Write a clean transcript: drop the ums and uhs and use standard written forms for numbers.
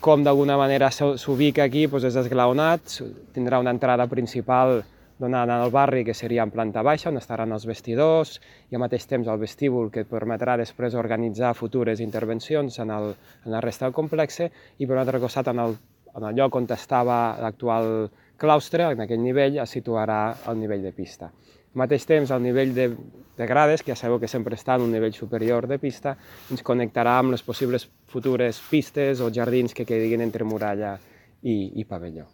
com d'alguna manera s'ubica aquí doncs és esglaonat, tindrà una entrada principal donant al barri, que seria en planta baixa, on estaran els vestidors, i al mateix temps el vestíbul, que permetrà després organitzar futures intervencions en la resta del complex, i per un altre costat, en el lloc on estava l'actual claustre, en aquell nivell, es situarà el nivell de pista. Al mateix temps, el nivell de grades, que ja sabeu que sempre està en un nivell superior de pista, ens connectarà amb les possibles futures pistes o jardins que quedin entre muralla i pavelló.